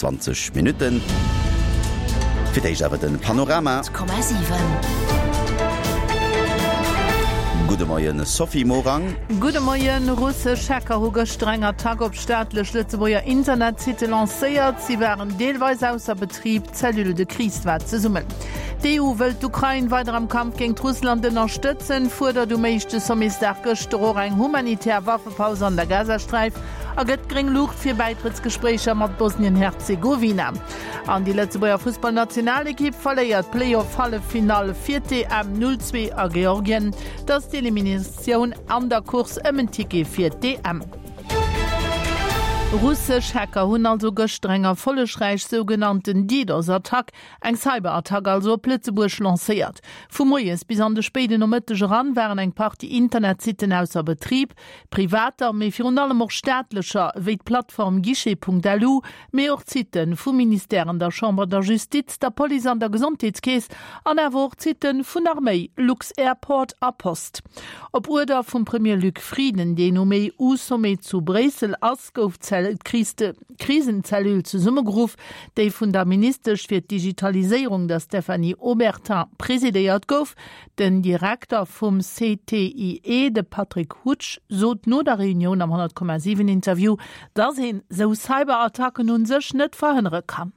20 Minutten. Fir d'éischt awer den Panorama. Gudde Moien Sophie Morang. Gudde Moien. Russesch Hacker hu gëschter eng Attack op staatlech Lëtzebuerger Internetsitte lancéiert. Si waren deelweis ausser Betrib, d'Cellule de crise war zesummen. D'EU wëllt d'Ukrain weider am Kampf géint Russland ënnerstëtzen, fuerdert um éischte Sommetsdag gëschter och eng humanitär Waffepaus an der Gazasträif a gëtt gréng Luucht fir Bäitrëttsgespréicher mat Bosnien-Herzegowina. An déi Lëtzebuerger Fussballnationalekipp verléiert d'Playoff-Halleffinall fir d'EM 0, 2 a Georgien. Et ass d'Eliminatioun an der Course ëm en Ticket fir d'EM. Russesch Hacker hunn also gëschter eng erfollegräich sougenannten DDoS-Attack Eng Cyberattack also op Lëtzebuerg lancéiert. Vu moies bis an de spéiden Nomëtteg eran waren eng Partie Internetsitten ausser Betrib. Privater, mee virun allem och staatlecher, wéi d'Plattform Guichet.lu, mee och d'Sitte vu Ministèren, der Chamber, der Justiz, der Police an der Gesondheetskeess an awer och d'Sitte vun Arméi, Lux-Airport a Post. Op Uerder vum Premier Luc Frieden, deen um EU-Sommet zu Bréissel ass, gouf d'Krisenzellule zesummegeruff, déi vun der Ministesch fir d'Digitaliséierung, der Stéphanie Obertin, presidéiert gouf. Den Direkter vum CTIE, de Patrick Hutsch, sot no der Reunioun am 100,7 Interview, datt een sou Cyberattacken un sech net verhënnere kann.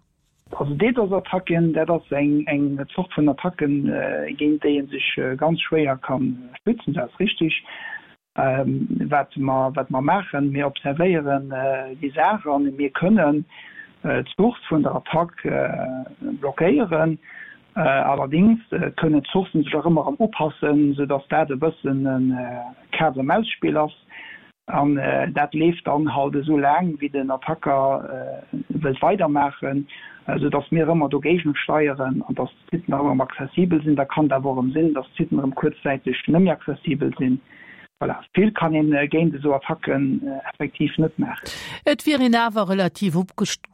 Also DDoS-Attacken, dat ass eng Zort vun Attacken, géint déi ee sech ganz schwéier ka schützen, dat ass richteg. Wat mer, wat mer maachen, mir observéieren déi Saach an mir kënnen d'Source vun der Attack blockéieren. Allerdéngs kënnen d'Sourcen sech och ëmmer erëm upassen, soudass dat e bëssen e Kaz-a-Maus-Spill ass. An dat leeft dann halt esou laang, wéi den Attacker wëllt weidermaachen, soudass mir ëmmer dogéigent steieren an dass d'Sitten erëm erëm accessibel sinn. Da kann et awer och erëm sinn, dass d'Sitten erëm kuerzzäiteg net méi accessibel sinn. Voilà, vill kann een géint esou Attacken effektiv net maachen. Et wier een awer relativ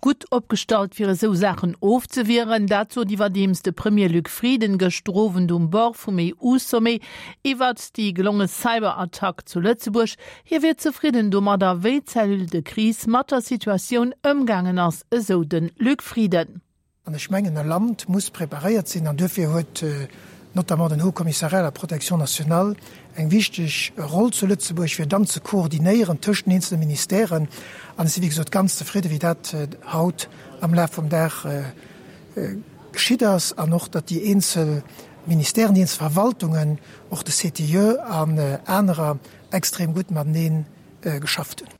gutt opgestallt, fir esou Saachen ofzewieren. Dat sot iwwerdeems de Premier Luc Frieden gëschter Owend um Bord vum EU-Sommet iwwert déi gelonge Cyberattack zu Lëtzebuerg. Hie wier zefridden domadder, wéi d'Cellule de crise mat der Situatioun ëmgaangen ass, esou de Luc Frieden. An ech mengen, e Land muss preparéiert sinn, an duerfir huet notamment den Haut Commissariat à la protection nationale eng wichteg Roll zu Lëtzebuerg, fir dann ze koordinéieren tëscht den eenzele Ministèren. An ech si wéi gesot ganz zefridde wéi dat haut am Laf vum Dag geschitt ass an och, datt déi eenzel Ministèren, déi eenzel Verwaltungen, och de CTIE an anerer extrem gutt matenee geschafft hunn.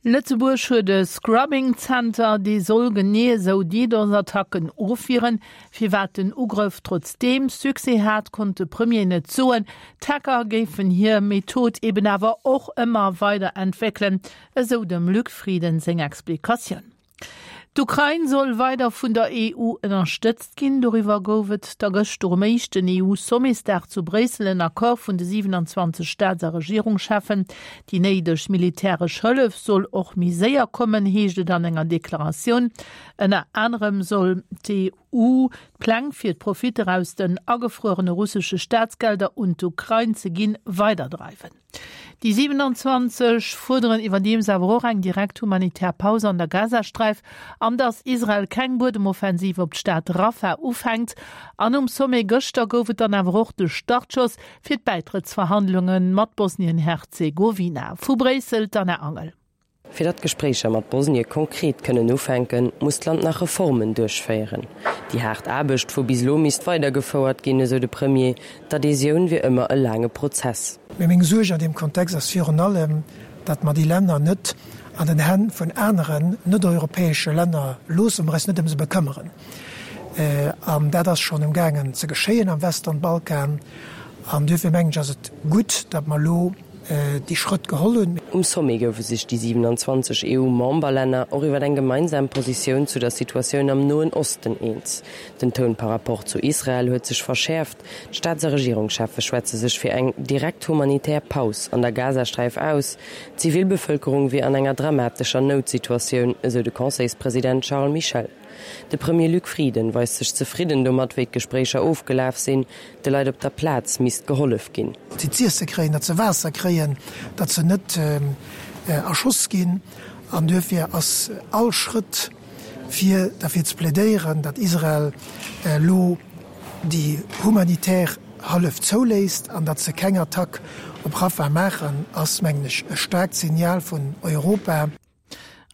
Lëtzebuerg huet e Scrubbing Center, dee soll genee esou DDoS-Attacken ofwieren. Firwat den Ugrëff trotzdeem Succès hat, konnt de Premier net soen. D'Hacker géifen hir Method eben awer och ëmmer weider entwéckelen, esou dem Luc Frieden seng Explikatioun. D'Ukrain soll weider vun der EU ënnerstëtzt ginn. Doriwwer gouf et da gëschter um éischten EU-Sommetsdag zu Bréissel en Accord vun de 27 Staats a Regierungscheffen. Déi néideg militäresch Hëllef soll och méi séier kommen, heescht et an enger Deklaratioun. Ënner anerem soll d'EU d'Pläng fir d'Profitter aus den agefruerene russesche Staatsgelder un d'Ukrain ze ginn, weiderdreiwen. Déi 27 fuerderen iwwerdeems awer och eng direkt humanitär Paus an der Gazasträif an datt Israel keng Buedemoffensiv op d'Stad Rafah ufänkt. An um Sommet gëschter gouf et dann awer och de Startschoss fir d'Bäitrëttsverhandlunge mat Bosnien-Herzegowina. Vu Bréissel d'Anna Angel. Fir datt d'Gespréicher mat Bosnie konkret kënnen ufänken, muss d'Land nach Reformen duerchféieren. Déi haart Aarbecht vu bis elo misst weidergefouert ginn, esou de Premier. D'Adhesioun wier ëmmer e laange Prozess. Mee meng Suerg an deem Kontext ass virun allem, datt mer déi Länner net an den Hänn vun aneren net-europäesche Länner loossen, mer eis net ëm se bekëmmeren. An dat ass schonn emgaangen ze geschéien am Western Balkan. An duerfir mengen ech, ass et gutt, datt mer elo déi Schrëtt geholl hunn. Um Sommet goufe sech déi 27 EU-Memberlänner och iwwer eng gemeinsam Positioun zu der Situatioun am Noen Osten eens. Den Toun par rapport zu Israel huet sech verschäerft. D'Staats a Regierungscheffe schwätze sech fir eng direkt humanitär Paus an der Gazasträif aus. D'Zivilbevëlkerung wier an enger dramatescher Noutsituatioun, esou de Conseilspresident Charles Michel. De Premier Luc Frieden weist sech zefridden domat, wéi d'Gespréicher ofgelaf sinn. De Leit op der Plaz misst gehollef ginn. Datt si z'iesse kréien, datt se Waasser kréien, datt se net erschoss ginn. An duerfir ass all Schrëtt, fir derfir ze plädéieren, datt Israel elo déi humanitär Hëllef zouléisst an datt se keng Attack op Rafah maachen, ass, mengen ech, e staarkt Signal vun Europa.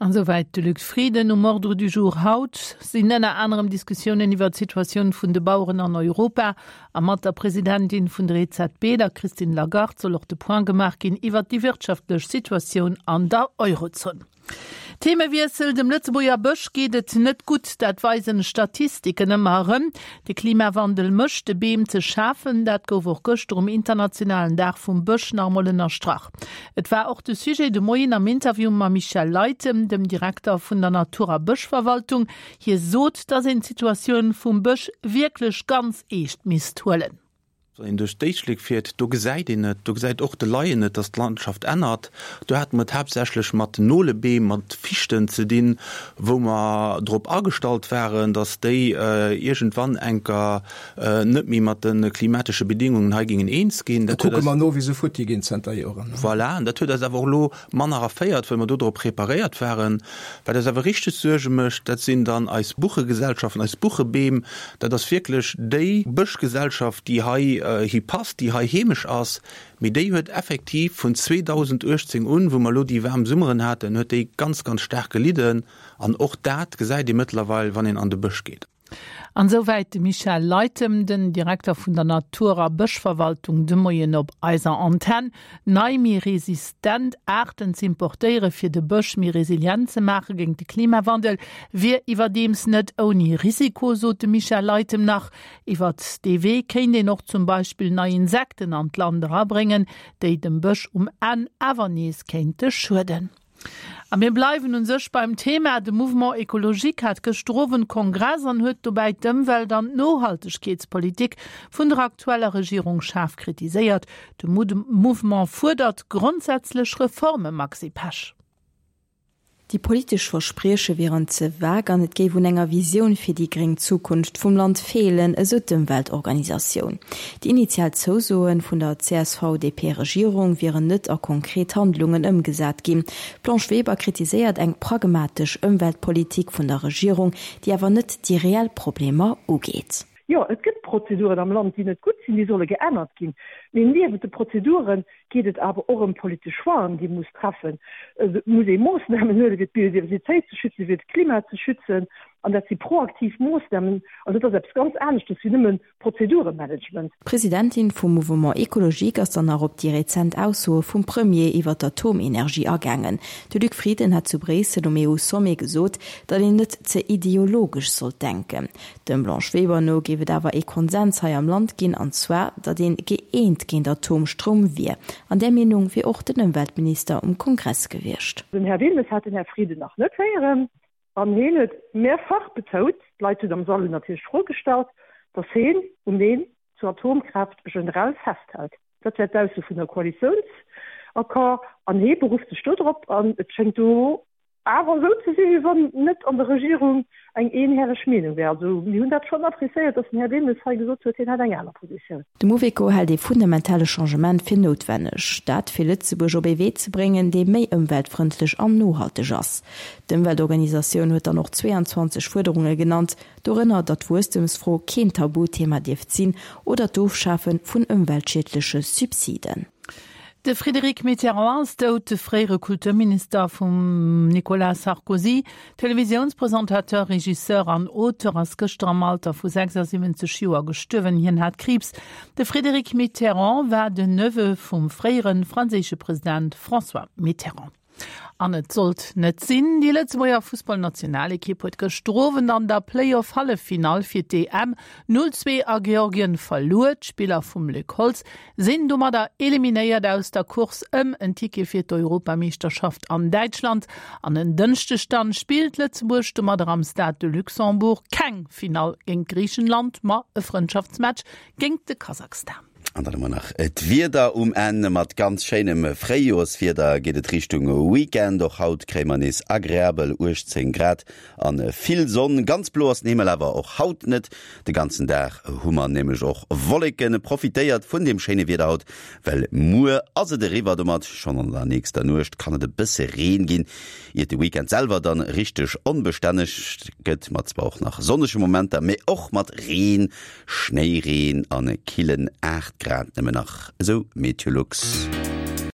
An esouwäit de Luc Frieden. Um Ordre du jour haut sinn ënner anerem Diskussiounen iwwer d'Situatioun vun de Baueren an Europa. A mat der Presidentin vun der EZB, der Christine Lagarde, soll och de Point gemaach ginn iwwer déi wirtschaftlech Situatioun an der Eurozon. Themewiessel, Dem Lëtzebuerger Bësch geet et net gutt, dat weisen Statistiken ëmmer erëm. De Klimawandel mécht de Beem ze schafen, dat gouf och gëschter um internationalen Dag vum Bësch nach emol ënnerstrach. Et war och de Sujet de Moien am Interview mam Michel Leytem, dem Direkter vun der Natur a Bëschverwaltung. Hie sot, datt een d'Situatioun vum Bësch wierklech ganz eescht misst huelen. Wann een duerch d'Éislek fiert, do gesäit een et, do gesäit och de Laien et, dass d'Landschaft ännert. Do hate mer et haaptsächlech mat Nolebeem, mat Fichten ze dinn, wou mer drop agestallt waren, dass déi iergendwann enker net méi mat de klimatesche Bedingungen hei géingen eens ginn. Da kucke mer no, wéi se futti ginn zënter Joren. Voilà, an dat huet eis awer och elo manner erféiert, well mer do drop preparéiert waren. Wat eis awer richteg Suerge mécht, dat sinn dann eis Buchegesellschaften, eis Buchebeem. Dat ass wierklech déi Bëschgesellschaft, déi hei hi passt, déi hei heemesch ass. Mee déi huet effektiv vun 2018 un, wou mer elo déi waarm Summeren haten, huet déi ganz, ganz staark gelidden. An och dat gesäit ee mëttlerweil, wann een an de Bësch geet. An esouwäit de Michel Leytem, den Direkter vun der Natur a Bëschverwaltung, de Moien op eiser Antenn. Nei, méi resistent Aarten z'importéiere fir de Bësch méi resilient ze maache géint de Klimawandel, wier iwwerdeems net ouni Risiko, sot de Michel Leytem nach. Iwwert dee Wee kéint een och zum Beispill nei Insekten an d'Land erabréngen, déi dem Bësch um Enn awer nees kéinte schueden. A mir bleiwen un sech beim Thema. De Mouvement Ecologique hat gëschter Owend Kongress an huet dobäi d'Ëmwelt an d'Nohaltegkeetspolitik vun der aktueller Regierung schaarf kritiséiert. De Mouvement fuerdert grondsätzlech Reforme, Maxi Pesch. Déi politesch Versprieche wieren ze vague an et géif un enger Visioun fir déi gréng Zukunft vum Land feelen, esou d'Ëmweltorganisatioun. Déi initial Zousoe vun der CSV-DP-Regierung wieren net a konkret Handlungen ëmgesat ginn. D'Blanche Weber kritiséiert eng pragmatesch Ëmweltpolitik vun der Regierung, déi awer net déi reell Problemer ugeet. Jo, et gëtt Prozeduren am Land, déi net gutt sinn, déi solle geännert ginn. Mee niewent de Prozedure geet et awer och ëm politesch Choixen, déi ee muss treffen. Et muss ee Moossnamen huelen, fir d'Biodiversitéit ze schützen, fir d'Klima ze schützen. An dat si proaktiv Moossnamen. An dat ass eppes ganz aneschtes wéi nëmmen Prozeduremanagement. D'Presidentin vum Mouvement Ecologique ass dann nach op déi rezent Aussoe vum Premier iwwer d'Atomenergie agaangen. De Luc Frieden hat zu Bréissel um EU-Sommet gesot, datt een net ze ideologesch sollt denken. Dem Blanche Weber no géif et awer ee Konsens hei am Land ginn, an zwar, datt een gëeent géint Atomstroum wier. An där Meenung wier och den Ëmweltminister um Kongress gewiescht. Den Här Wilmes hat den Här Frieden nach net héieren. An heen huet mehrfach betout, d'Leit hunn am Sall hunn natierlech d'Fro gestallt, datt heen um Neen zur Atomkraaft generell festhält. Dat wär d'Ausso vun der Koalitiounsaccord an hee berufft sech do drop. An et schéngt do awer esou ze sinn, wéi wann net an der Regierung eng eenhäreg Meenung wär. Also mir hunn dat schonn appréciéiert, datt den Här Wilmes hei gesot huet, hien hätt eng aner Positioun. De Mouveco hält ee fundamentale Changement fir noutwenneg. Dat fir Lëtzebuerg op ee Wee ze bréngen, dee méi ëmweltfrëndlech an nohalteg ass. D'Ëmweltorganisatioun huet dann och 22 Fuerderunge genannt, dorënner datt d'Wuesstemsfro keen Tabuthema dierft sinn oder d'Ofschafe vun ëmweltschiedleche Subsiden. De Frédéric Mitterrand ass dout, de fréiere Kulturminister vum Nicolas Sarkozy. Televisiounspresentateur, Regisseur an Auteur ass gëschter am Alter vu 76 Joer gestuerwen. Hien hat Kriibs. De Frédéric Mitterrand war den Neveu vum fréiere franséische President François Mitterrand. An et sollt net sinn, Déi Lëtzebuerger Fussballnationalekipp huet gëschter Owend an der Playoff-Halleffinall fir d'EM 0, 2 a Georgien verluer. D'Spiller vum Luc Holtz sinn domadder eliminéiert aus der Course ëm en Ticket fir d'Europameeschterschaft an Däitschland. An en Dënschdeg dann spillt Lëtzebuerg domadder am Stade de Luxembourg keng Finall géint Griichenland, ma e Frëndschaftsmatch géint de Kasachstan. An dann hu mer nach d'Wieder um Enn. Mat ganz schéinem Fréijoerswieder geet et Richtung Weekend. Och haut kréie mer nees agreabel 18 Grad an vill Sonn. Ganz blo ass den Himmel awer och haut net. De ganzen Dag hu mer nämlech och Wolleken. Profitéiert vun dem schéine Wieder haut, well muer ass et eriwwer domat. Schonn an der nächster Nuecht kann et e bësse Reen ginn, iert de Weekend selwer dann richteg onbestänneg gëtt, mat zwar och nach sonnege Momenter, mee och mat Reen. Schnéireen an e killen 8 Grad nëmmen nach, esou Meteolux.